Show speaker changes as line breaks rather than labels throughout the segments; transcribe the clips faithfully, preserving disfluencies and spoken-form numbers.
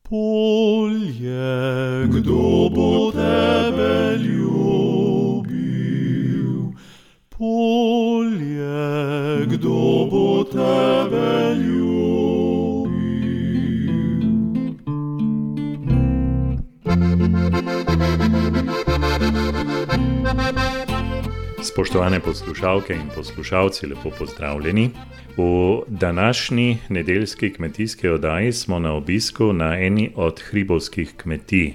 Polje, kdo bo tebe ljubil? Polje, kdo bo tebe ljubil?
Spoštovane poslušalke in poslušalci, lepo pozdravljeni. V današnji nedeljski kmetijski oddaji smo na obisku na eni od hribovskih kmetij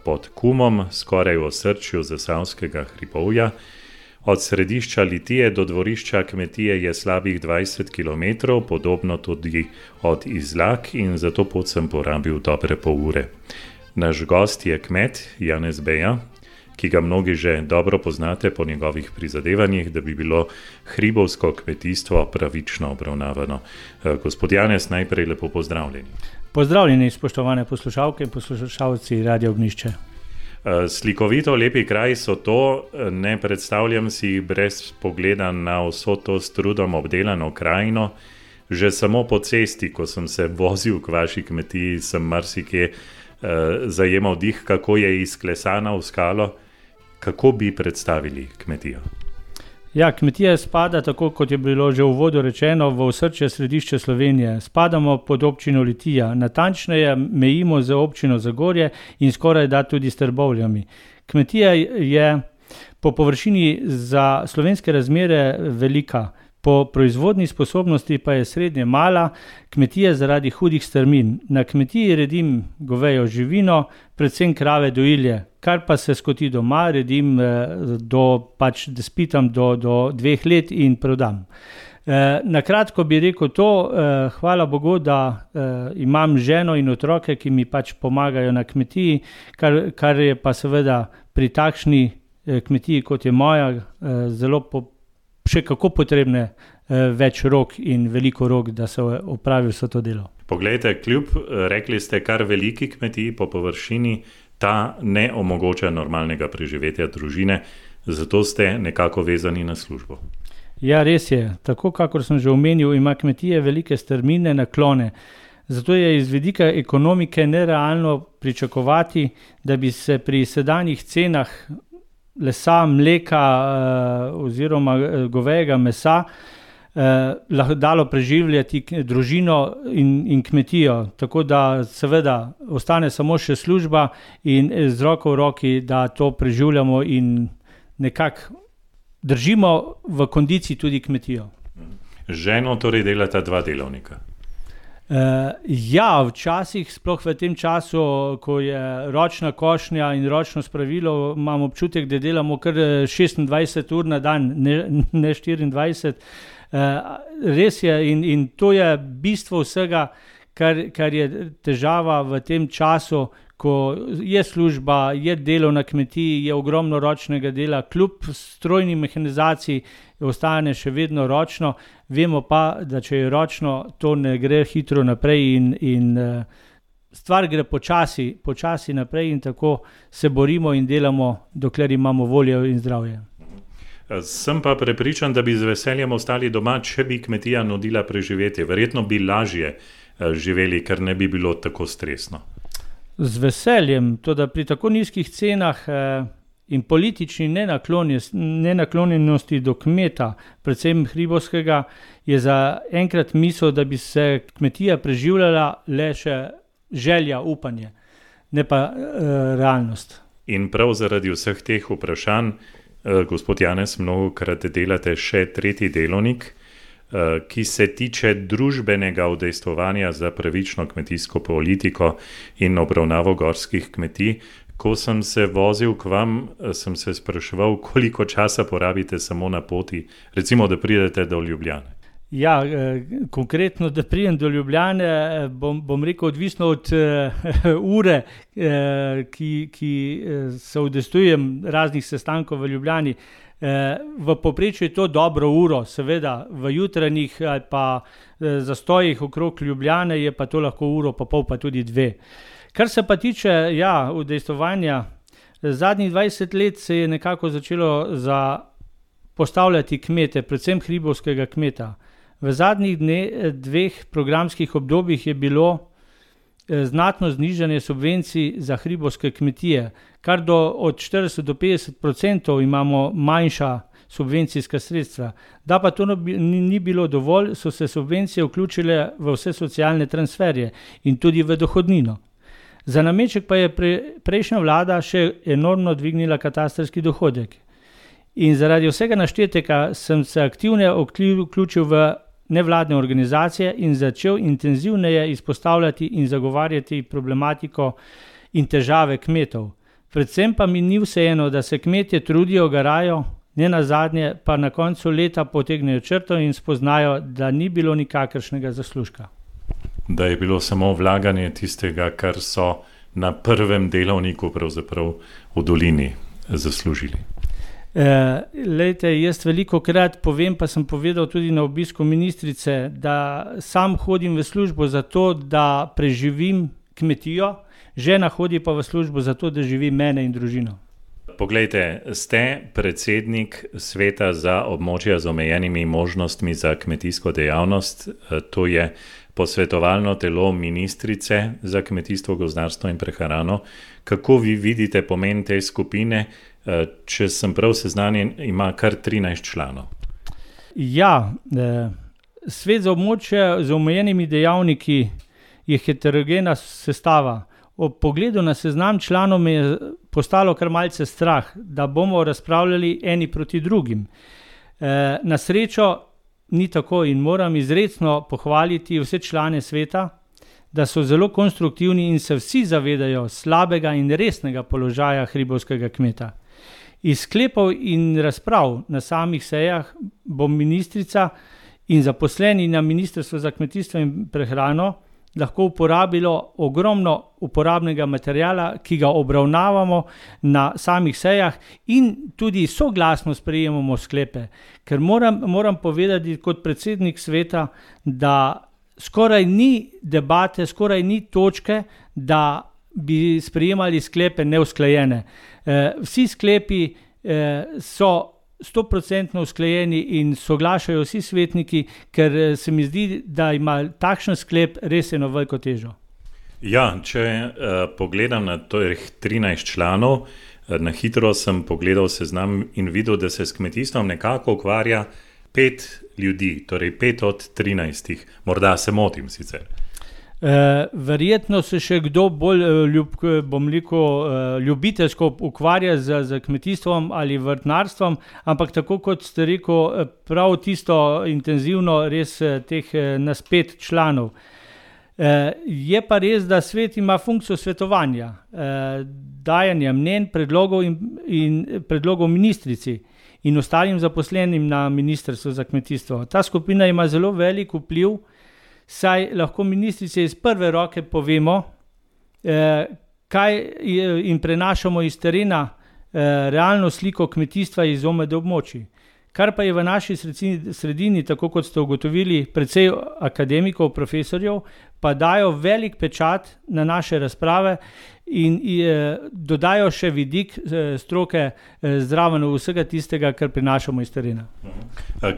pod Kumom, skoraj v osrčju Zasavskega hribovja. Od središča Litije do dvorišča kmetije je slabih dvajset kilometrov, podobno tudi od Izlak, in za to pot sem porabil dobre pol ure. Naš gost je kmet Janez Beja, ki ga mnogi že dobro poznate po njegovih prizadevanjih, da bi bilo hribovsko kmetijstvo pravično obravnavano. Gospod Janez, najprej lepo pozdravljeni.
Pozdravljeni, spoštovane poslušalke in poslušalci Radio Ognjišče.
Slikovito lepi kraj so to, ne predstavljam si brez pogleda na vso to s trudom obdelano krajino. Že samo po cesti, ko sem se vozil k vaši kmetiji, sem marsikje eh, zajemal dih, kako je izklesana v skalo. Kako bi predstavili kmetijo?
Ja, kmetija spada, tako kot je bilo že v uvodu rečeno, v osrčje središče Slovenije. Spadamo pod občino Litija, natančneje mejimo z občino Zagorje in skoraj da tudi s Trbovljami. Kmetija je po površini za slovenske razmere velika, po proizvodni sposobnosti pa je srednje mala, kmetija zaradi hudih strmin. Na kmetiji redim govejo živino, predvsem krave dojilje, kar pa se skoti doma, redim do, pač da spitam do, do dveh let in prodam. Na kratko bi rekel to, hvala Bogu, da imam ženo in otroke, ki mi pač pomagajo na kmetiji, kar, kar je pa seveda pri takšni kmetiji, kot je moja, zelo po še kako potrebne eh, več rok in veliko rok, da se opravi vse to delo.
Poglejte, kljub, rekli ste, kar veliki kmetiji po površini, ta ne omogoča normalnega preživetja družine, zato ste nekako vezani na službo.
Ja, res je. Tako, kakor sem že omenil, ima kmetije velike strmine, naklone. Zato je iz vidika ekonomike nerealno pričakovati, da bi se pri sedanjih cenah lesa, mleka eh, oziroma govejega mesa eh, lahko dalo preživljati družino in, in kmetijo. Tako da seveda ostane samo še služba in z roko v roki, da to preživljamo in nekako držimo v kondiciji tudi kmetijo.
Ženo torej delata dva delovnika.
Uh, ja, včasih, sploh v tem času, ko je ročna košnja in ročno spravilo, imam občutek, da delamo kar šestindvajset ur na dan, ne, ne štiriindvajset. Uh, res je in, in to je bistvo vsega, kar, kar je težava v tem času, ko je služba, je delo na kmetiji, je ogromno ročnega dela, kljub strojni mehanizaciji ostane še vedno ročno. Vemo pa, da če je ročno, to ne gre hitro naprej in, in stvar gre počasi, počasi naprej in tako se borimo in delamo, dokler imamo voljo in zdravje.
Sem pa prepričan, da bi z veseljem ostali doma, če bi kmetija nudila preživetje. Verjetno bi lažje živeli, ker ne bi bilo tako stresno.
Z veseljem, to da pri tako nizkih cenah eh, in politični nenaklonjenosti do kmeta, predvsem hribovskega, je za enkrat misel, da bi se kmetija preživljala le še želja, upanje, ne pa eh, realnost.
In prav zaradi vseh teh vprašanj, eh, gospod Janez, mnogokrat delate še tretji delovnik, ki se tiče družbenega udejstvovanja za pravično kmetijsko politiko in obravnavo gorskih kmetij. Ko sem se vozil k vam, sem se spraševal, koliko časa porabite samo na poti, recimo, da pridete do Ljubljane.
Ja, eh, konkretno, da pridem do Ljubljane, bom, bom rekel, odvisno od uh, ure, uh, ki, ki uh, se udejstvujem raznih sestankov v Ljubljani. V povprečju je to dobro uro, seveda v jutranjih ali pa zastojih okrog Ljubljane je pa to lahko uro, pa pol, pa tudi dve. Kar se pa tiče ja, udejstvovanja, zadnjih dvajset let se je nekako začelo za postavljati kmete, predvsem hribovskega kmeta. V zadnjih dne, dveh programskih obdobjih je bilo znatno znižanje subvencij za hribovske kmetije, kar do od štirideset do petdeset odstotkov imamo manjša subvencijska sredstva. Da pa to ni bilo dovolj, so se subvencije vključile v vse socialne transferje in tudi v dohodnino. Za nameček pa je pre, prejšnja vlada še enormno dvignila katastrski dohodek. In zaradi vsega naštetega sem se aktivno vključil v nevladne organizacije in začel intenzivneje izpostavljati in zagovarjati problematiko in težave kmetov. Predvsem pa mi ni vseeno, da se kmetje trudijo, garajo, ne nazadnje pa na koncu leta potegnejo črto in spoznajo, da ni bilo nikakršnega zaslužka.
Da je bilo samo vlaganje tistega, kar so na prvem delovniku pravzaprav v dolini zaslužili.
E, lejte, jaz veliko krat povem, pa sem povedal tudi na obisku ministrice, da sam hodim v službo zato, da preživim kmetijo, žena hodi pa v službo zato, da živi mene in družino.
Poglejte, ste predsednik sveta za območja z omejenimi možnostmi za kmetijsko dejavnost, to je posvetovalno telo ministrice za kmetijstvo, gozdarstvo in prehrano. Kako vi vidite pomen te skupine? Če sem prav seznanjen, ima kar trinajst članov.
Ja, svet za območje z omejenimi dejavniki je heterogena sestava. Ob pogledu na seznam članov me je postalo kar malce strah, da bomo razpravljali eni proti drugim. Na srečo ni tako in moram izrecno pohvaliti vse člane sveta, da so zelo konstruktivni in se vsi zavedajo slabega in resnega položaja hribovskega kmeta. Iz sklepov in razprav na samih sejah bo ministrica in zaposleni na Ministrstvu za kmetijstvo in prehrano lahko uporabilo ogromno uporabnega materiala, ki ga obravnavamo na samih sejah in tudi soglasno sprejemamo sklepe. Ker moram, moram povedati kot predsednik sveta, da skoraj ni debate, skoraj ni točke, da bi sprejemali sklepe neusklajene. E, vsi sklepi e, so stoprocentno usklajeni in soglašajo vsi svetniki, ker se mi zdi, da ima takšen sklep res eno veliko težo.
Ja, če uh, pogledam na teh trinajst članov, uh, na hitro sem pogledal seznam in videl, da se s kmetijstvom nekako ukvarja pet ljudi, torej pet od trinajstih. Morda se motim sicer.
Uh, verjetno se še kdo bolj ljub, bom rekel, uh, ljubiteljsko ukvarja z, z kmetijstvom ali vrtnarstvom, ampak tako kot ste rekel, prav tisto intenzivno res teh nas pet članov. Uh, je pa res, da svet ima funkcijo svetovanja, uh, dajanja mnenj, predlogov in, in predlogov ministrici in ostalim zaposlenim na Ministrstvu za kmetijstvo. Ta skupina ima zelo velik vpliv, saj lahko ministrice iz prve roke povemo, eh, kaj je, in prenašamo iz terena eh, realno sliko kmetijstva iz O M D območij. Kar pa je v naši sredini, sredini, tako kot ste ugotovili, precej akademikov, profesorjev, pa dajo velik pečat na naše razprave in eh, dodajo še vidik eh, stroke eh, zraven vsega tistega, kar prinašamo iz terena.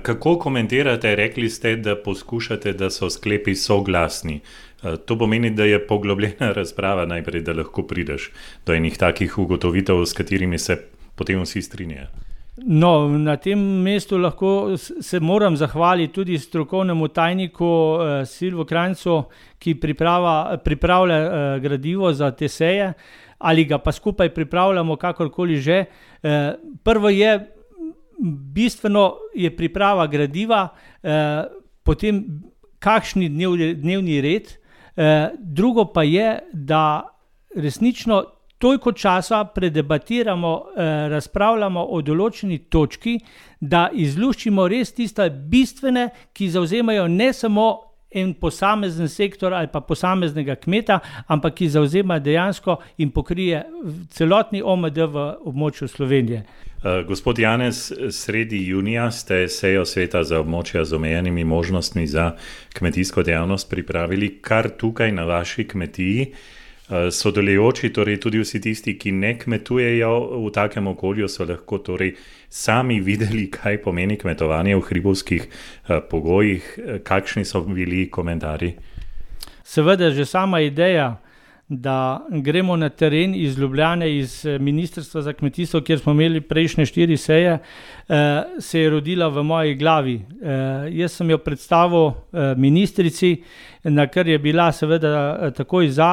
Kako komentirate, rekli ste, da poskušate, da so sklepi soglasni. To pomeni, da je poglobljena razprava najprej, da lahko prideš do enih takih ugotovitev, s katerimi se potem vsi strinjajo.
No, na tem mestu lahko se moram zahvaliti tudi strokovnemu tajniku eh, Silvo Krajncu, ki priprava, pripravlja eh, gradivo za te seje, ali ga pa skupaj pripravljamo kakorkoli že. Eh, prvo je, bistveno je priprava gradiva, eh, potem kakšni dnev, dnevni red, eh, drugo pa je, da resnično toliko časa predebatiramo, eh, razpravljamo o določeni točki, da izluščimo res tiste bistvene, ki zavzemajo ne samo en posamezen sektor ali pa posameznega kmeta, ampak ki zavzema dejansko in pokrije celotni O M D v območju Slovenije.
Uh, gospod Janez, sredi junija ste sejo sveta za območja z omejenimi možnostmi za kmetijsko dejavnost pripravili kar tukaj na vaši kmetiji. Sodelujoči, torej tudi vsi tisti, ki ne kmetujejo v takem okolju, so lahko torej sami videli, kaj pomeni kmetovanje v hribovskih uh, pogojih. Kakšni so bili komentarji?
Seveda že sama ideja, da gremo na teren iz Ljubljane, iz Ministrstva za kmetijstvo, kjer smo imeli prejšnje štiri seje, se je rodila v moji glavi. Jaz sem jo predstavil ministrici, na kar je bila seveda takoj za,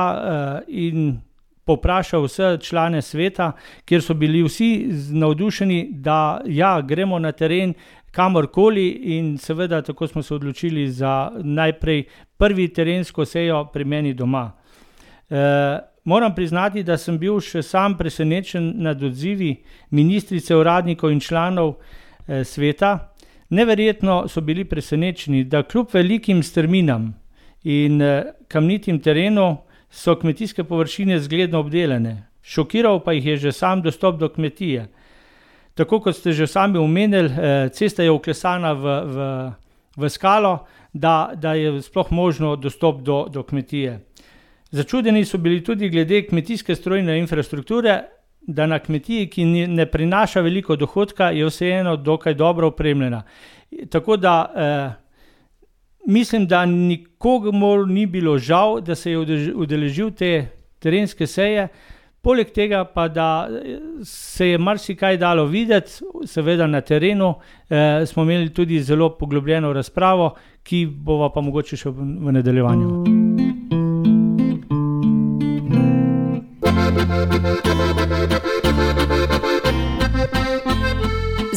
in poprašal vse člane sveta, kjer so bili vsi navdušeni, da ja, gremo na teren kamorkoli, in seveda tako smo se odločili za najprej prvi terensko sejo pri meni doma. Uh, moram priznati, da sem bil še sam presenečen nad odzivi ministrice, uradnikov in članov uh, sveta. Neverjetno so bili presenečeni, da kljub velikim strminam in uh, kamnitim terenu so kmetijske površine zgledno obdelane. Šokiral pa jih je že sam dostop do kmetije. Tako kot ste že sami omenili, uh, cesta je vklesana v, v, v skalo, da, da je sploh možno dostop do, do kmetije. Začudeni so bili tudi glede kmetijske strojne infrastrukture, da na kmetiji, ki ne prinaša veliko dohodka, je vseeno dokaj dobro opremljena. Tako da eh, mislim, da nikogar ni bilo žal, da se je udeležil te terenske seje, poleg tega pa, da se je marsikaj dalo videti, seveda na terenu eh, smo imeli tudi zelo poglobljeno razpravo, ki bova pa mogoče še v nadaljevanju.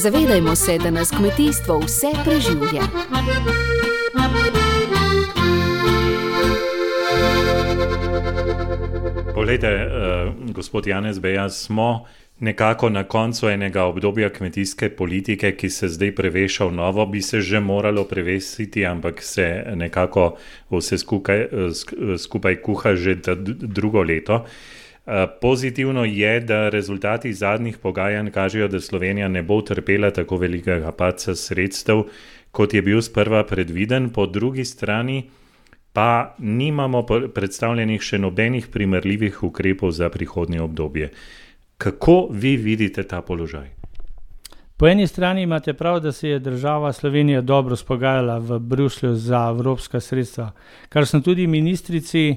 Zavedajmo se, da nas kmetijstvo vse preživlja.
Poglejte, uh, gospod Janez Beja, smo nekako na koncu enega obdobja kmetijske politike, ki se zdaj preveša v novo, bi se že moralo prevesiti, ampak se nekako vse skupaj, skupaj kuha že drugo leto. Pozitivno je, da rezultati zadnjih pogajanj kažejo, da Slovenija ne bo trpela tako velikega padca sredstev, kot je bil sprva predviden. Po drugi strani pa nimamo predstavljenih še nobenih primerljivih ukrepov za prihodnje obdobje. Kako vi vidite ta položaj?
Po eni strani imate prav, da se je država Slovenija dobro spogajala v Bruslju za evropska sredstva, kar sem tudi ministrici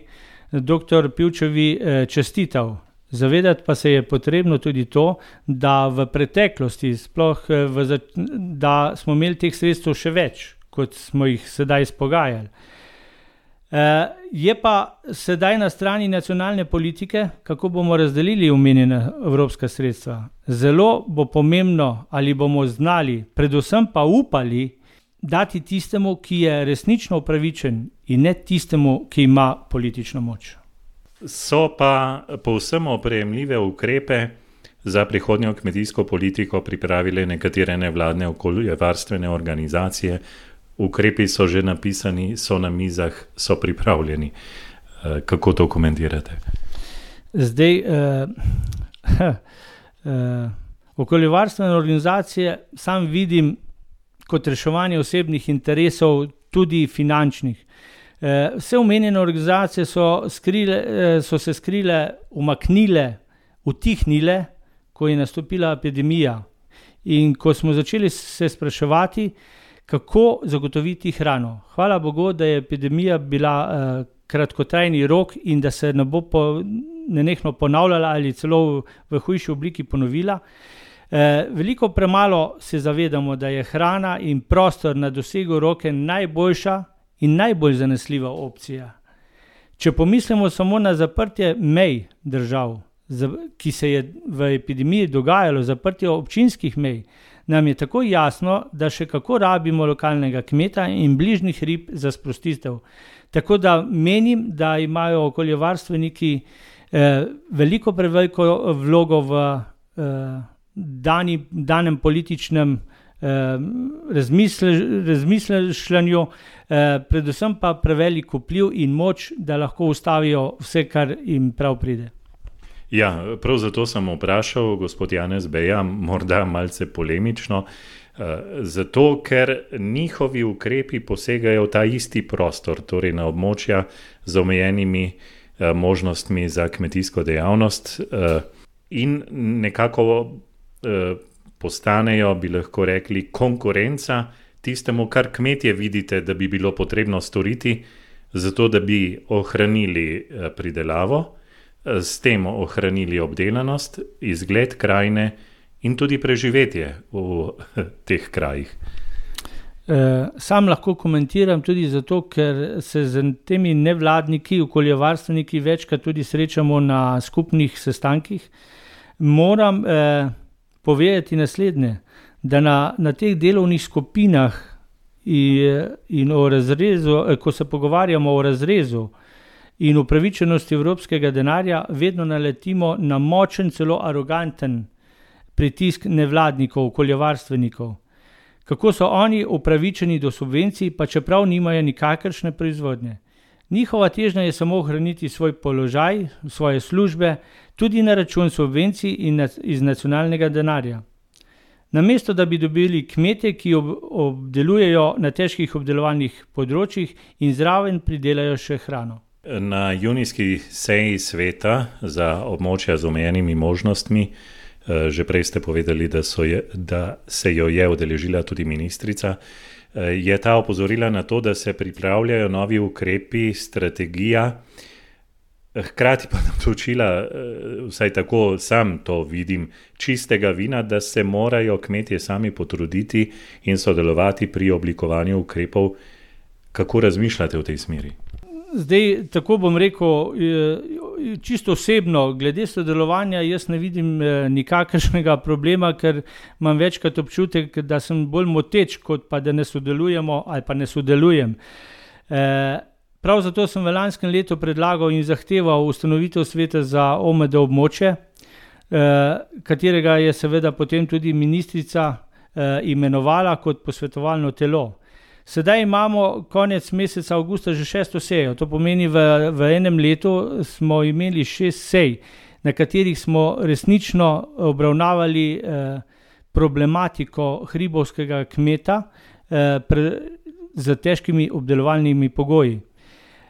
doktor Pivčevi čestital. Zavedati pa se je potrebno tudi to, da v preteklosti, sploh v, da smo imeli teh sredstev še več, kot smo jih sedaj spogajali. Je pa sedaj na strani nacionalne politike, kako bomo razdelili omenjena evropska sredstva. Zelo bo pomembno, ali bomo znali, predvsem pa upali, dati tistemu, ki je resnično upravičen, in ne tistemu, ki ima politično moč.
So pa povsem oprejemljive ukrepe za prihodnjo kmetijsko politiko pripravile nekatere nevladne okoljevarstvene organizacije. Ukrepi so že napisani, so na mizah, so pripravljeni. Kako to komentirate?
Zdaj, eh, eh, okoljevarstvene organizacije sam vidim kot reševanje osebnih interesov, tudi finančnih. Vse omenjene organizacije so, skrile, so se skrile, umaknile, utihnile, ko je nastopila epidemija. In ko smo začeli se spraševati, kako zagotoviti hrano. Hvala Bogu, da je epidemija bila eh, kratkotrajni rok in da se ne bo po, nenehno ponavljala ali celo v, v hujši obliki ponovila. Eh, veliko premalo se zavedamo, da je hrana in prostor na dosegu roke najboljša in najbolj zanesljiva opcija. Če pomislimo samo na zaprtje mej držav, ki se je v epidemiji dogajalo, zaprtje občinskih mej, nam je tako jasno, da še kako rabimo lokalnega kmeta in bližnjih rib za sprostitev. Tako da menim, da imajo okoljevarstveniki eh, veliko preveliko vlogo v eh, dani, danem političnem razmišljanju, predvsem pa prevelik vpliv in moč, da lahko ustavijo vse, kar jim prav pride.
Ja, prav zato sem vprašal, gospod Janez Beja, morda malce polemično, zato, ker njihovi ukrepi posegajo v ta isti prostor, torej na območja z omejenimi možnostmi za kmetijsko dejavnost in nekako postanejo, bi lahko rekli, konkurenca tistemu, kar kmetje vidite, da bi bilo potrebno storiti zato da bi ohranili pridelavo, s tem ohranili obdelanost, izgled krajine in tudi preživetje v teh krajih.
Sam lahko komentiram tudi zato, ker se z temi nevladniki, okoljevarstveniki večkrat tudi srečamo na skupnih sestankih. Moram eh, povedati naslednje, da na, na teh delovnih skupinah in, in o razrezu, ko se pogovarjamo o razrezu in upravičenosti evropskega denarja, vedno naletimo na močen, celo aroganten pritisk nevladnikov, okoljevarstvenikov. Kako so oni upravičeni do subvencij, pa čeprav nimajo nikakršne proizvodnje. Njihova težnja je samo ohraniti svoj položaj, svoje službe, tudi na račun subvencij in iz nacionalnega denarja. Namesto da bi dobili kmete, ki ob, obdelujejo na težkih obdelovalnih področjih in zraven pridelajo še hrano.
Na junijski seji sveta za območja z omejenimi možnostmi, že prej ste povedali, da, so je, da se jo je udeležila tudi ministrica, je ta opozorila na to, da se pripravljajo novi ukrepi, strategija, hkrati pa nam točila, vsaj tako sam to vidim, čistega vina, da se morajo kmetje sami potruditi in sodelovati pri oblikovanju ukrepov. Kako razmišljate v tej smeri?
Zdaj, tako bom rekel, čisto osebno, glede sodelovanja jaz ne vidim nikakršnega problema, ker imam večkrat občutek, da sem bolj moteč, kot pa da ne sodelujemo ali pa ne sodelujem. Prav zato sem v lanskem letu predlagal in zahteval ustanovitev sveta za O M D območje, katerega je seveda potem tudi ministrica imenovala kot posvetovalno telo. Sedaj imamo konec meseca avgusta že šesto sejo, to pomeni v, v enem letu smo imeli šest sej, na katerih smo resnično obravnavali eh, problematiko hribovskega kmeta eh, pre, z težkimi obdelovalnimi pogoji.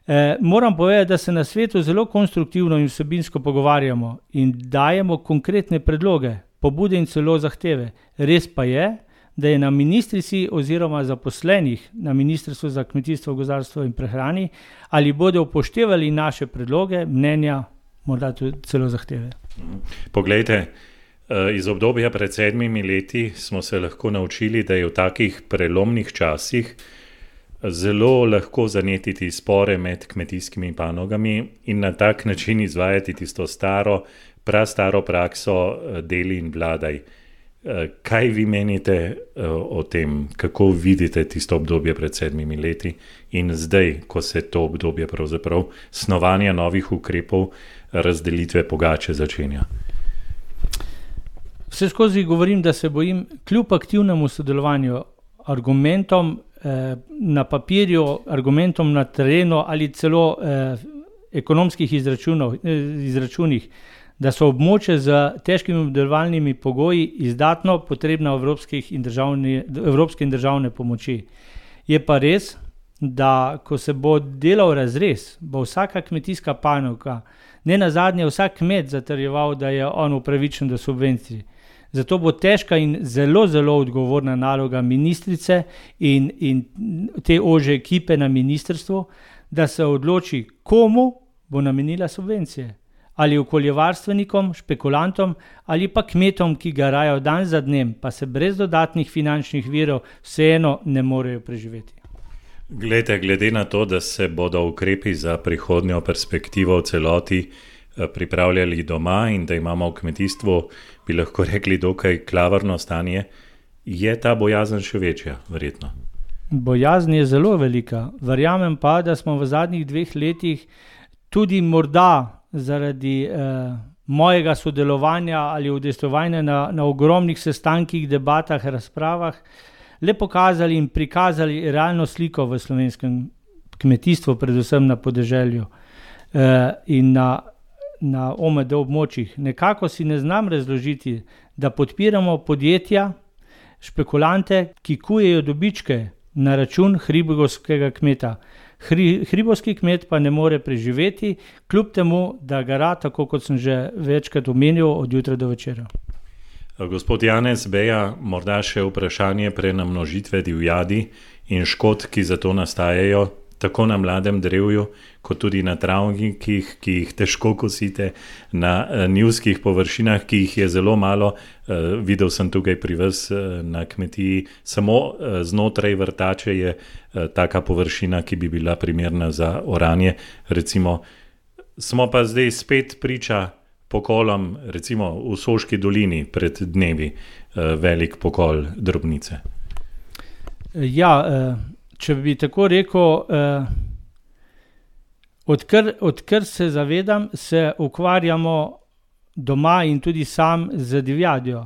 Eh, moram povedati, da se na svetu zelo konstruktivno in vsebinsko pogovarjamo in dajemo konkretne predloge, pobude in celo zahteve. Res pa je, da je na ministrici oziroma zaposlenih na Ministrstvu za kmetijstvo, gozdarstvo in prehrani, ali bodo upoštevali naše predloge, mnenja, morda tudi celo zahteve.
Poglejte, iz obdobja pred sedmimi leti smo se lahko naučili, da je v takih prelomnih časih zelo lahko zanetiti spore med kmetijskimi panogami in na tak način izvajati tisto staro, prastaro prakso deli in vladaj. Kaj vi menite o tem, kako vidite tisto obdobje pred sedmimi leti in zdaj, ko se to obdobje pravzaprav snovanja novih ukrepov, razdelitve pogače začenja?
Vse skozi govorim, da se bojim kljub aktivnemu sodelovanju, argumentom eh, na papirju, argumentom na terenu ali celo eh, ekonomskih izračunov, eh, izračunih, da so območja z težkimi obdelovalnimi pogoji izdatno potrebna evropskih in državne, evropske in državne pomoči. Je pa res, da ko se bo delal razrez, bo vsaka kmetijska panoga, ne nazadnje vsak kmet zatrjeval, da je on upravičen do subvencij. Zato bo težka in zelo, zelo odgovorna naloga ministrice in, in te ožje ekipe na ministrstvu, da se odloči, komu bo namenila subvencije. Ali okoljevarstvenikom, špekulantom ali pa kmetom, ki garajo dan za dnem, pa se brez dodatnih finančnih virov vseeno ne morejo preživeti.
Glede, glede na to, da se bodo ukrepi za prihodnjo perspektivo v celoti pripravljali doma in da imamo v kmetijstvu, bi lahko rekli, dokaj klavrno stanje, je ta bojazen še večja, verjetno?
Bojazen je zelo velika. Verjamem pa, da smo v zadnjih dveh letih tudi morda zaradi eh, mojega sodelovanja ali udejstvovanja na, na ogromnih sestankih, debatah, razpravah, le pokazali in prikazali realno sliko v slovenskem kmetijstvu, predvsem na podeželju eh, in na, na O M D območjih. Nekako si ne znam razložiti, da podpiramo podjetja, špekulante, ki kujejo dobičke na račun hribovskega kmeta. Hri, hribovski kmet pa ne more preživeti, kljub temu, da gara, tako kot sem že večkrat omenil, od jutra do večera.
Gospod Janez Beja, morda še vprašanje prenamnožitve divjadi in škod, ki za to nastajajo, tako na mladem drevju, kot tudi na travnikih, ki jih težko kosite, na uh, njivskih površinah, ki jih je zelo malo. Uh, videl sem tukaj pri vas uh, na kmetiji, samo uh, znotraj vrtače je uh, taka površina, ki bi bila primerna za oranje. Recimo, smo pa zdaj spet priča pokolom, recimo v Soški dolini pred dnevi, uh, velik pokol drobnice.
Ja, uh... Če bi tako rekel, eh, odkar, odkar se zavedam, se ukvarjamo doma in tudi sam z divjadjo.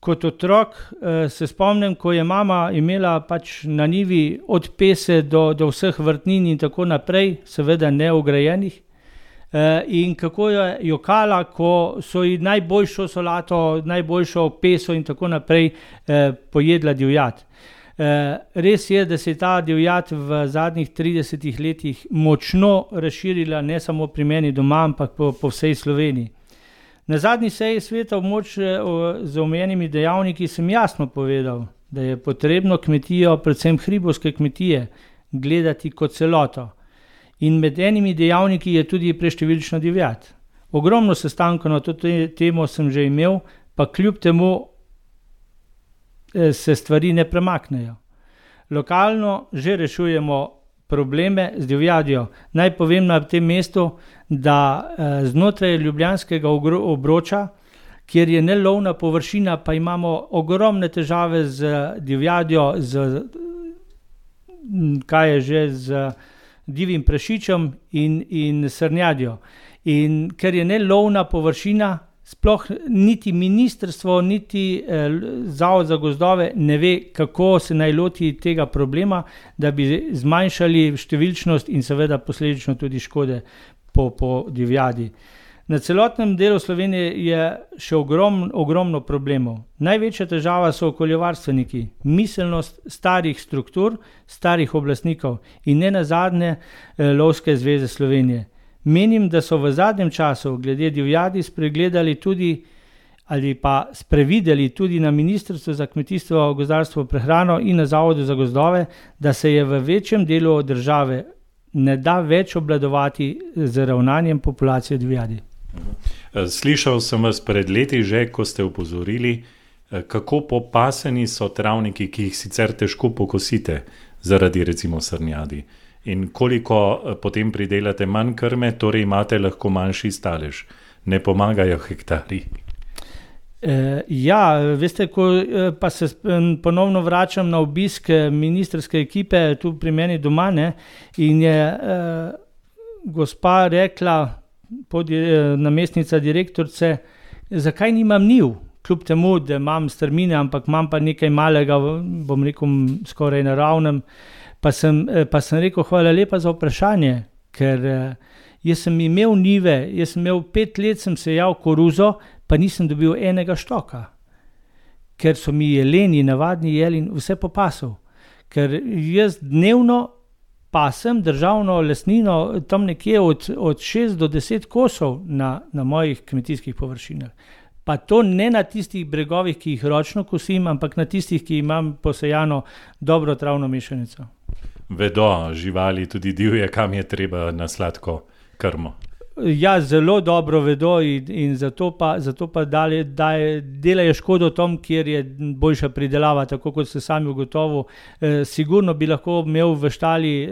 Kot otrok eh, se spomnim, ko je mama imela pač na njivi od pese do, do vseh vrtnin in tako naprej, seveda neograjenih, eh, in kako je jokala, ko so ji najboljšo solato, najboljšo peso in tako naprej eh, pojedla divjad. Res je, da se je ta divjad v zadnjih tridesetih letih močno razširila, ne samo pri meni doma, ampak po, po vsej Sloveniji. Na zadnji seji sveta območja z omenjenimi dejavniki sem jasno povedal, da je potrebno kmetijo, predvsem hribovske kmetije, gledati kot celoto. In med enimi dejavniki je tudi preštevilčna divjad. Ogromno sestankov na to temo sem že imel, pa kljub temu se stvari ne premaknejo. Lokalno že rešujemo probleme z divjadjo. Naj povem na tem mestu, da znotraj ljubljanskega obroča, kjer je nelovna površina, pa imamo ogromne težave z divjadjo, z, kaj je že, z divjim prašičem in, in srnjadjo. In ker je nelovna površina, sploh niti ministrstvo, niti eh, Zavod za gozdove ne ve, kako se naj loti tega problema, da bi zmanjšali številčnost in seveda posledično tudi škode po, po divjadi. Na celotnem delu Slovenije je še ogrom, ogromno problemov. Največja težava so okoljevarstveniki, miselnost starih struktur, starih oblastnikov in ne nazadnje eh, Lovske zveze Slovenije. Menim, da so v zadnjem času glede divjadi spregledali tudi ali pa sprevideli tudi na Ministrstvu za kmetijstvo, gozdarstvo, prehrano in na Zavodu za gozdove, da se je v večjem delu države ne da več obvladovati z ravnanjem populacije divjadi.
Slišal sem vas pred leti že, ko ste opozorili, kako popaseni so travniki, ki jih sicer težko pokosite zaradi recimo srnjadi. In koliko potem pridelate manj krme, torej imate lahko manjši stalež. Ne pomagajo hektari.
E, ja, veste, ko pa se ponovno vračam na obisk ministrske ekipe tu pri meni doma, ne, in je e, gospa rekla, pod, e, namestnica direktorice, zakaj nimam njiv, kljub temu, da imam strmine, ampak imam pa nekaj malega, bom rekel, skoraj naravnem. Pa sem, pa sem rekel, hvala lepa za vprašanje, ker jaz sem imel njive, jaz sem imel pet let, sem sejal koruzo, pa nisem dobil enega štoka, ker so mi jeleni, navadni jelin, vse popasal. Ker jaz dnevno pasem državno lesnino tam nekje od, od šest do deset kosov na, na mojih kmetijskih površinah. Pa to ne na tistih bregovih, ki jih ročno kosim, ampak na tistih, ki imam posejano dobro travno mešanico.
Vedo živali, tudi divje, kam je treba na sladko krmo.
Ja, zelo dobro vedo in, in zato pa, zato pa dalje, daje, delajo škodo tom, kjer je boljša pridelava, tako kot ste sami ugotovili. E, sigurno bi lahko imel v štali e,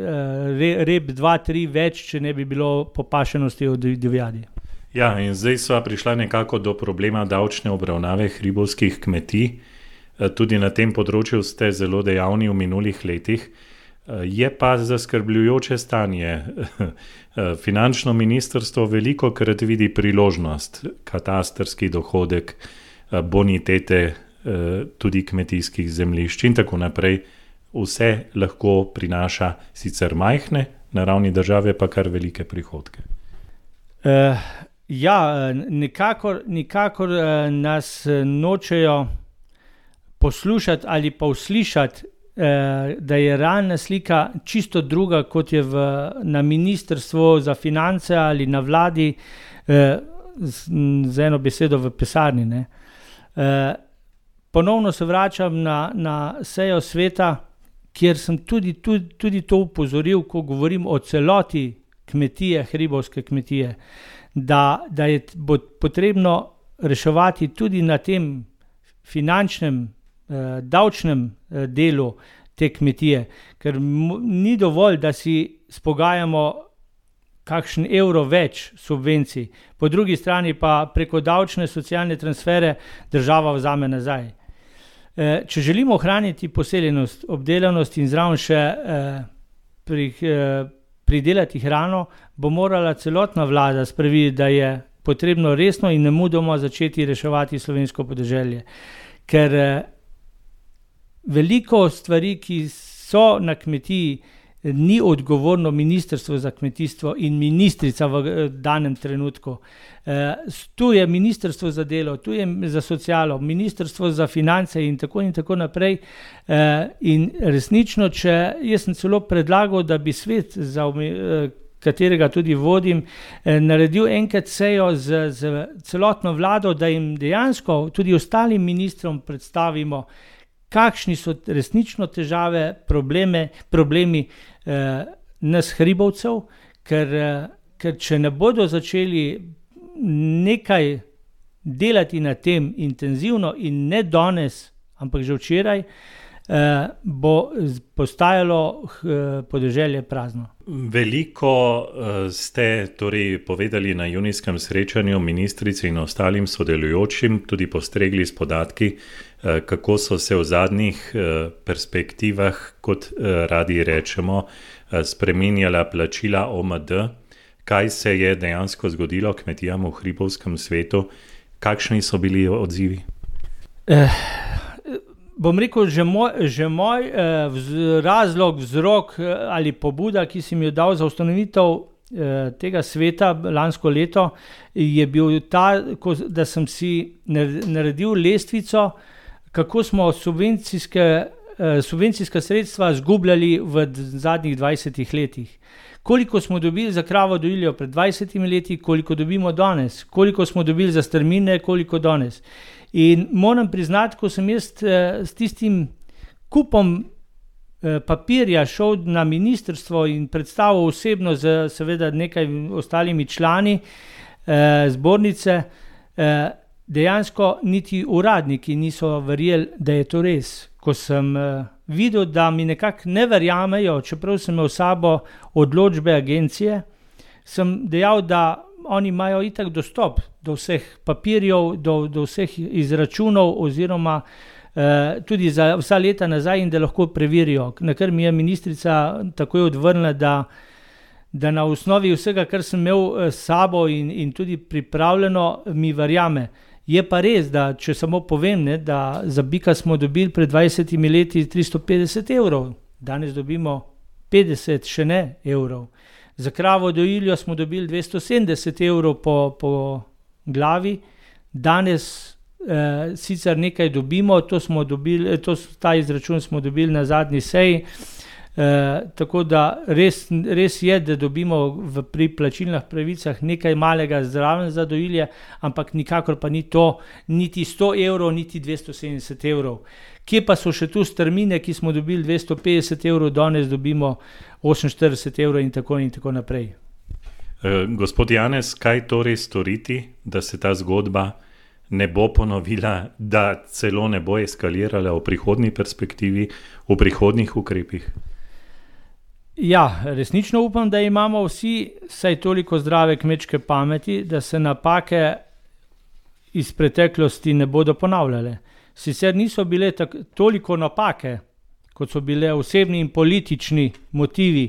re, rep dva, tri več, če ne bi bilo popašenosti od divjadi.
Ja, in zdaj sva prišla nekako do problema davčne obravnave hribovskih kmetij. E, tudi na tem področju ste zelo dejavni v minulih letih. Je pa zaskrbljujoče stanje. Finančno ministrstvo veliko krat vidi priložnost, katastrski dohodek, bonitete tudi kmetijskih zemljišč in tako naprej. Vse lahko prinaša sicer majhne, na ravni države pa kar velike prihodke.
Uh, ja, nikakor, nikakor nas nočejo poslušati ali pa uslišati, da je realna slika čisto druga, kot je v, na ministrstvu za finance ali na vladi, z, z eno besedo v pisarni. Ne. Ponovno se vračam na, na sejo sveta, kjer sem tudi, tudi, tudi to upozoril, ko govorim o celoti kmetije, hribovske kmetije, da, da je bo potrebno reševati tudi na tem finančnem, eh, davčnem eh, delu te kmetije, ker m- ni dovolj, da si spogajamo kakšen evro več subvencij, po drugi strani pa preko davčne socialne transfere država vzame nazaj. Eh, če želimo ohraniti poseljenost, obdelanost in zraven še eh, pri, eh, pridelati hrano, bo morala celotna vlada sprevideti, da je potrebno resno in nemudoma začeti reševati slovensko podeželje. Ker eh, veliko stvari, ki so na kmetiji, ni odgovorno Ministrstvo za kmetijstvo in ministrica v eh, danem trenutku. Eh, tu je Ministrstvo za delo, tu je za socialo, Ministrstvo za finance in tako in tako naprej. Eh, in resnično, če jaz sem celo predlagal, da bi svet, za, eh, katerega tudi vodim, eh, naredil enkrat sejo z, z celotno vlado, da jim dejansko tudi ostalim ministrom predstavimo, kakšni so resnično težave, probleme, problemi eh, nas hribovcev, ker, eh, ker če ne bodo začeli nekaj delati na tem intenzivno in ne danes, ampak že včeraj, eh, bo postajalo eh, podeželje prazno.
Veliko uh, ste torej povedali na junijskem srečanju ministrici in ostalim sodelujočim, tudi postregli s podatki, uh, kako so se v zadnjih uh, perspektivah, kot uh, radi rečemo, uh, spreminjala plačila O M D. Kaj se je dejansko zgodilo kmetijam v hribovskem svetu? Kakšni so bili odzivi?
Eh. Bom rekel, že moj, že moj eh, vz, razlog, vzrok eh, ali pobuda, ki sem jo dal za ustanovitev eh, tega sveta lansko leto, je bil ta, ko, da sem si naredil lestvico, kako smo subvencijske, eh, subvencijska sredstva zgubljali v zadnjih dvajsetih letih. Koliko smo dobili za kravo dojiljo pred dvajsetimi leti, koliko dobimo danes, koliko smo dobili za strmine, koliko danes. In moram priznati, ko sem jaz eh, s tistim kupom eh, papirja šel na ministrstvo in predstavil osebno z seveda nekaj ostalimi člani eh, zbornice, eh, dejansko niti uradniki niso verjeli, da je to res. Ko sem eh, videl, da mi nekako ne verjamejo, čeprav sem imel sabo odločbe agencije, sem dejal, da oni imajo itak dostop do vseh papirjev, do, do vseh izračunov oziroma eh, tudi za vsa leta nazaj in da lahko preverijo. Na kar mi je ministrica takoj odvrnila, da, da na osnovi vsega, kar sem imel s sabo in, in tudi pripravljeno, mi verjame. Je pa res, da če samo povem, ne, da za bika smo dobili pred dvajsetimi leti tristo petdeset evrov, danes dobimo petdeset še ne evrov. Za kravo dojiljo smo dobili dvesto sedemdeset evrov po, po glavi, danes eh, sicer nekaj dobimo, to smo dobili, to, ta izračun smo dobili na zadnji seji, eh, tako da res, res je, da dobimo v, pri plačilnih pravicah nekaj malega zraven za dojilje, ampak nikakor pa ni to niti sto evrov, niti dvesto sedemdeset evrov. Kje pa so še tu strmine, ki smo dobili dvesto petdeset evrov, danes dobimo oseminštirideset evrov in tako in tako naprej.
E, gospod Janez, kaj torej storiti, da se ta zgodba ne bo ponovila, da celo ne bo eskalirala v prihodnji perspektivi, v prihodnjih ukrepih?
Ja, resnično upam, da imamo vsi vsaj toliko zdrave kmečke pameti, da se napake iz preteklosti ne bodo ponavljale. Sicer niso bile tak, toliko napake, kot so bile osebni in politični motivi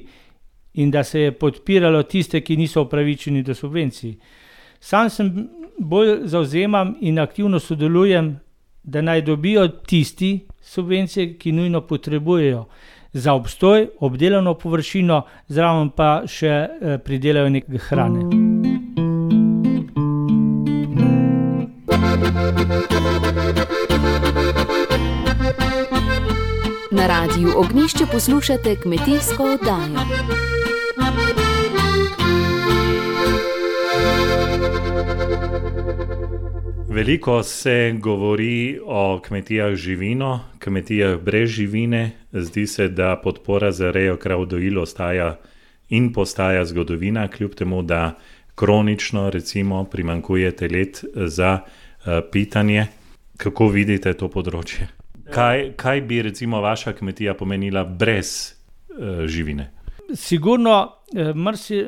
in da se je podpiralo tiste, ki niso upravičeni do subvencij. Sam sem bolj zavzemam in aktivno sodelujem, da naj dobijo tisti subvencije, ki nujno potrebujejo za obstoj, obdelano površino, zraven pa še eh, pridelajo nekaj hrane.
Na Radiu Ognjišče poslušate kmetijsko oddajo.
Veliko se govori o kmetijah z živino, kmetijah brez živine. Zdi se, da podpora za rejo krav dojil ostaja in postaja zgodovina, kljub temu, da kronično recimo primanjkuje telet za uh, pitanje. Kako vidite to področje? Kaj, kaj bi recimo vaša kmetija pomenila brez uh, živine?
Sigurno, mrsi,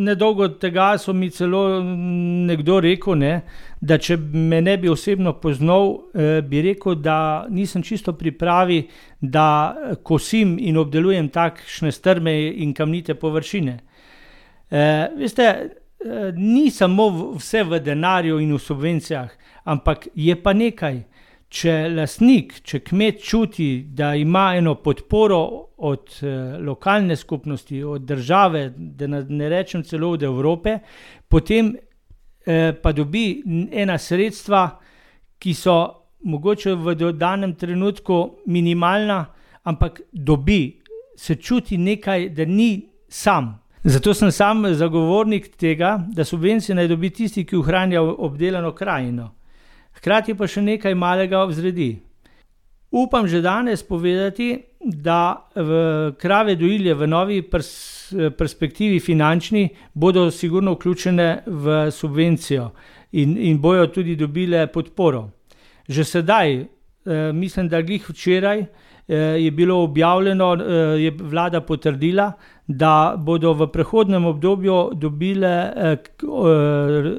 nedolgo tega so mi celo nekdo rekel, ne, da če me ne bi osebno poznal, bi rekel, da nisem čisto pripravi, da kosim in obdelujem takšne strme in kamnite površine. E, veste, ni samo vse v denarju in v subvencijah, ampak je pa nekaj. Če lastnik, če kmet čuti, da ima eno podporo od eh, lokalne skupnosti, od države, da ne rečem celo od Evrope, potem eh, pa dobi ena sredstva, ki so mogoče v danem trenutku minimalna, ampak dobi, se čuti nekaj, da ni sam. Zato sem sam zagovornik tega, da subvencije naj dobi tisti, ki ohranja obdelano krajino. Hkrati pa še nekaj malega vzredi. Upam že danes povedati, da v krave dojilje v novi pers- perspektivi finančni bodo sigurno vključene v subvencijo in, in bojo tudi dobile podporo. Že sedaj, eh, mislim, da glih včeraj, eh, je bilo objavljeno, eh, je vlada potrdila, da bodo v prehodnem obdobju dobile eh,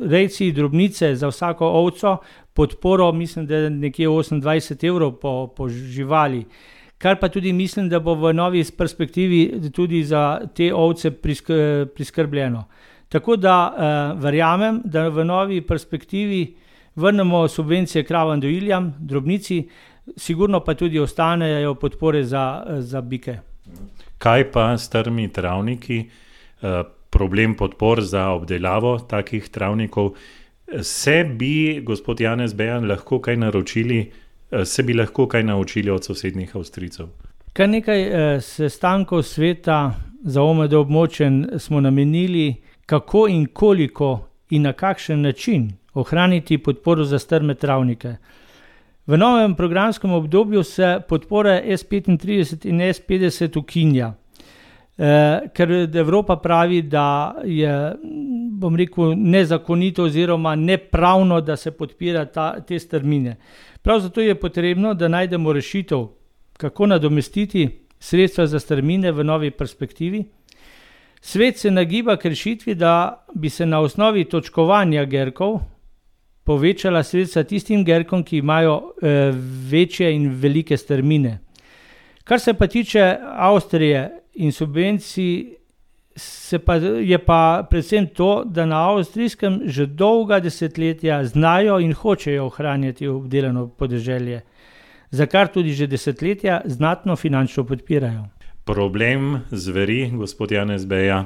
rejci drobnice za vsako ovco podporo, mislim, da je nekje osemindvajset evrov po, po živali, kar pa tudi mislim, da bo v novi perspektivi tudi za te ovce prisk- priskrbljeno. Tako da eh, verjamem, da v novi perspektivi vrnemo subvencije kravam dojiljam, drobnici, sigurno pa tudi ostanejo podpore za, za bike.
Kaj pa strmi travniki, eh, problem podpor za obdelavo takih travnikov? Se bi, gospod Janez Bejan, lahko kaj naročili, se bi lahko kaj naučili od sosednjih Avstrijcev?
Kar nekaj eh, sestankov sveta za O M D območje smo namenili, kako in koliko in na kakšen način ohraniti podporo za strme travnike. V novem programskem obdobju se podpora S petintrideset in S petdeset ukinja, eh, ker Evropa pravi, da je, bom rekel, nezakonito oziroma nepravno, da se podpira ta, te strmine. Prav zato je potrebno, da najdemo rešitev, kako nadomestiti sredstva za strmine v novi perspektivi. Svet se nagiba k rešitvi, da bi se na osnovi točkovanja gerkov povečala sredstva tistim gerkom, ki imajo eh, večje in velike strmine. Kar se pa tiče Avstrije in subvencij, se pa, je pa predvsem to, da na avstrijskem že dolga desetletja znajo in hočejo ohranjati obdelano podeželje, za kar tudi že desetletja znatno finančno podpirajo.
Problem zveri, gospod Janez Beja,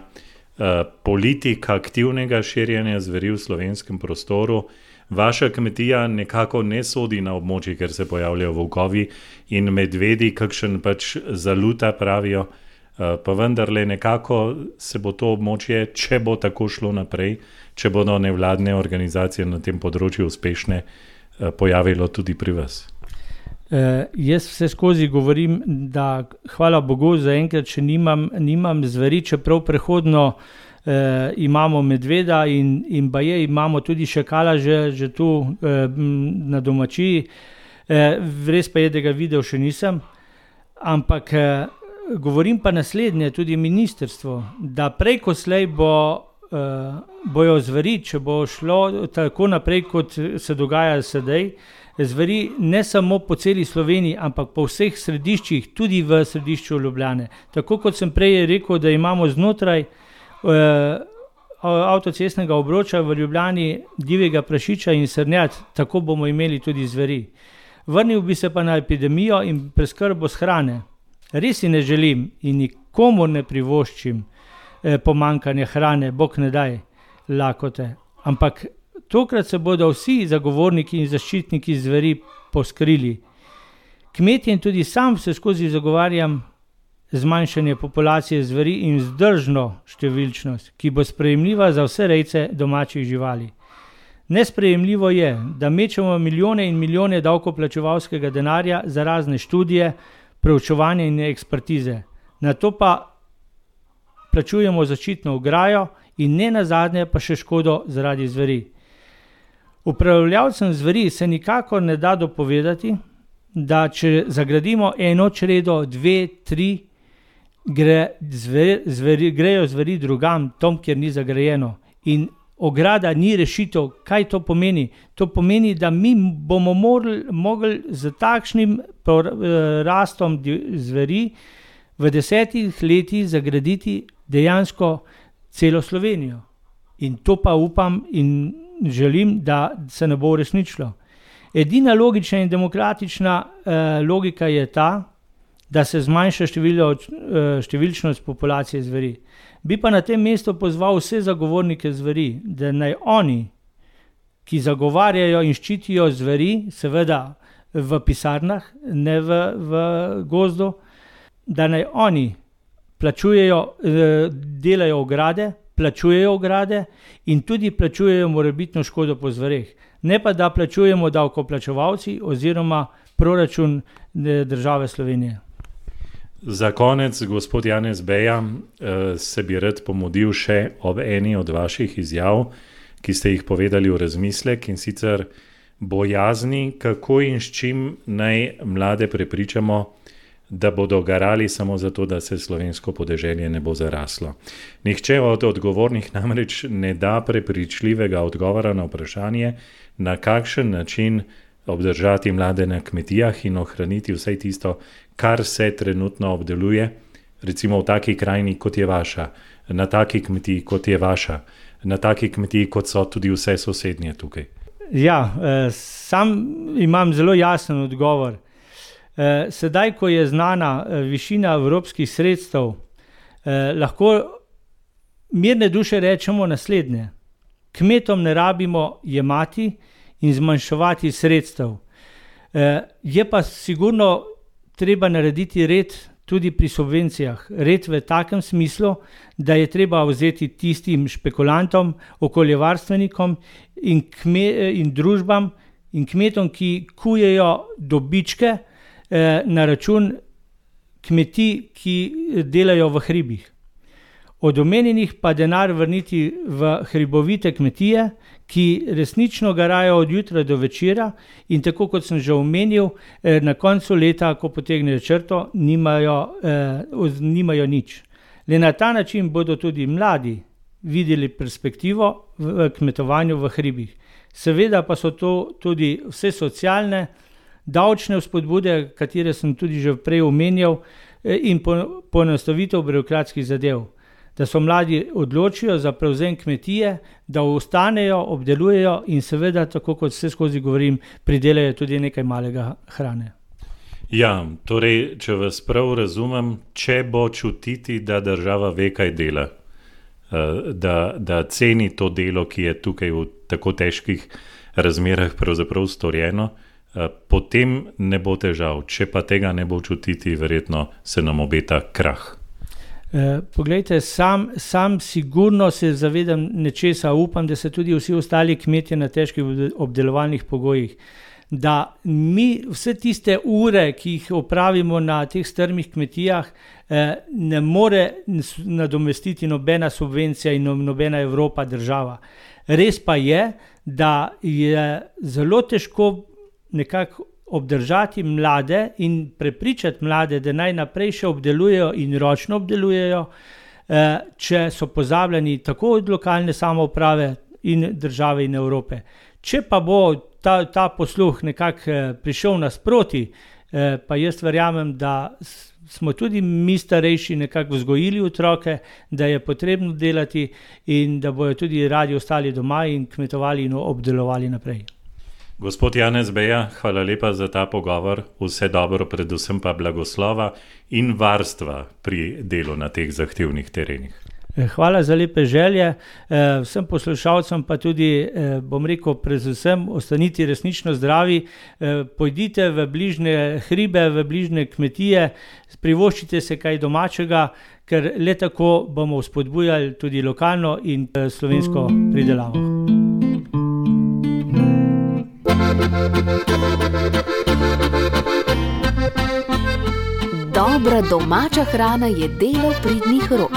eh, politika aktivnega širjenja zveri v slovenskem prostoru. Vaša kmetija nekako ne sodi na območje, ker se pojavljajo volkovi in medvedi, kakšen pač zaluta pravijo. Pa vendarle nekako se bo to območje, če bo tako šlo naprej, če bodo nevladne organizacije na tem področju uspešne, pojavilo tudi pri vas.
Eh, jaz vse skozi govorim, da hvala Bogu zaenkrat še nimam, nimam zveri, čeprav prehodno eh, imamo medveda in, in baje imamo tudi šakala že, že tu eh, na domačiji. Eh, res pa je, da ga videl še nisem, ampak eh, govorim pa naslednje, tudi ministrstvo, da prej ko slej bo, uh, bojo zveri, če bo šlo tako naprej, kot se dogaja sedaj, zveri ne samo po celi Sloveniji, ampak po vseh središčih, tudi v središču Ljubljane. Tako kot sem prej rekel, da imamo znotraj uh, avtocestnega obroča v Ljubljani divjega prašiča in srnjad, tako bomo imeli tudi zveri. Vrnil bi se pa na epidemijo in preskrbo s hrane. Res si ne želim in nikomu ne privoščim eh, pomankanja hrane, Bog ne daj lakote. Ampak tokrat se bodo vsi zagovorniki in zaščitniki zveri poskrili. Kmetje in tudi sam se skozi zagovarjam zmanjšanje populacije zveri in vzdržno številčnost, ki bo sprejemljiva za vse rejce domačih živali. Nesprejemljivo je, da mečemo milijone in milijone davkoplačevalskega denarja za razne študije, preučevanje in ekspertize. Na to pa plačujemo zaščitno ograjo in ne nazadnje pa še škodo zaradi zveri. Upravljavcem zveri se nikakor ne da dopovedati, da če zagradimo eno čredo, dve, tri, gre zveri, zveri, grejo zveri drugam, tam, kjer ni zagrajeno. In ograda ni rešitev. Kaj to pomeni? To pomeni, da mi bomo morali, mogli z takšnim rastom zveri v desetih letih zagraditi dejansko celo Slovenijo. In to pa upam in želim, da se ne bo uresničilo. Edina logična in demokratična eh, logika je ta, da se zmanjša število, eh, številčnost populacije zveri. Bi pa na tem mestu pozval vse zagovornike zveri, da naj oni, ki zagovarjajo in ščitijo zveri, seveda v pisarnah, ne v, v gozdu, da naj oni plačujejo, eh, delajo ograde, plačujejo ograde in tudi plačujejo morebitno škodo po zvereh. Ne pa, da plačujemo davkoplačevalci oziroma proračun države Slovenije.
Za konec, gospod Janez Beja, se bi rad pomodil še ob eni od vaših izjav, ki ste jih povedali v razmislek, in sicer bojazni, kako in s čim naj mlade prepričamo, da bodo garali samo zato, da se slovensko podeželje ne bo zaraslo. Nihče od odgovornih namreč ne da prepričljivega odgovora na vprašanje, na kakšen način obdržati mlade na kmetijah in ohraniti vse tisto, kar se trenutno obdeluje, recimo v taki krajini, kot je vaša, na taki kmetiji, kot je vaša, na taki kmetiji, kot so tudi vse sosednje tukaj.
Ja, sam imam zelo jasen odgovor. Sedaj, ko je znana višina evropskih sredstev, lahko mirne duše rečemo naslednje. Kmetom ne rabimo jemati in zmanjševati sredstev. Je pa sigurno treba narediti red tudi pri subvencijah. Red v takem smislu, da je treba vzeti tistim špekulantom, okoljevarstvenikom in, kme, in družbam in kmetom, ki kujejo dobičke na račun kmetij, ki delajo v hribih. Od omenjenih pa denar vrniti v hribovite kmetije, ki resnično garajo od jutra do večera in tako kot sem že omenil, na koncu leta, ko potegnejo črto, nimajo, eh, nimajo nič. Le na ta način bodo tudi mladi videli perspektivo v kmetovanju v hribih. Seveda pa so to tudi vse socialne, davčne vzpodbude, katere sem tudi že prej omenjal, in poenostavitev birokratskih zadev. Da so mladi odločijo za prevzem kmetije, da ostanejo, obdelujejo in seveda, tako kot vse skozi govorim, pridelajo tudi nekaj malega hrane.
Ja, torej, če vas prav razumem, če bo čutiti, da država ve, kaj dela, da, da ceni to delo, ki je tukaj v tako težkih razmerah pravzaprav storjeno, potem ne bo težav. Če pa tega ne bo čutiti, verjetno se nam obeta krah.
Poglejte, sam, sam sigurno se zavedam nečesa, upam, da se tudi vsi ostali kmetje na težkih obdelovalnih pogojih, da mi vse tiste ure, ki jih opravimo na teh strmih kmetijah, ne more nadomestiti nobena subvencija in nobena Evropa, država. Res pa je, da je zelo težko nekako obdržati mlade in prepričati mlade, da naj naprej še obdelujejo in ročno obdelujejo, če so pozabljeni tako od lokalne samouprave in države in Evrope. Če pa bo ta, ta posluh nekako prišel nasproti, pa jaz verjamem, da smo tudi mi starejši nekako vzgojili otroke, da je potrebno delati in da bojo tudi radi ostali doma in kmetovali in obdelovali naprej.
Gospod Janez Beja, hvala lepa za ta pogovor, vse dobro, predvsem pa blagoslova in varstva pri delu na teh zahtevnih terenih.
Hvala za lepe želje, vsem poslušalcem pa tudi, bom rekel, predvsem ostanite resnično zdravi, pojdite v bližnje hribe, v bližnje kmetije, privoščite se kaj domačega, ker le tako bomo spodbujali tudi lokalno in slovensko pridelavo.
Dobra domača hrana je delo pridnih rok.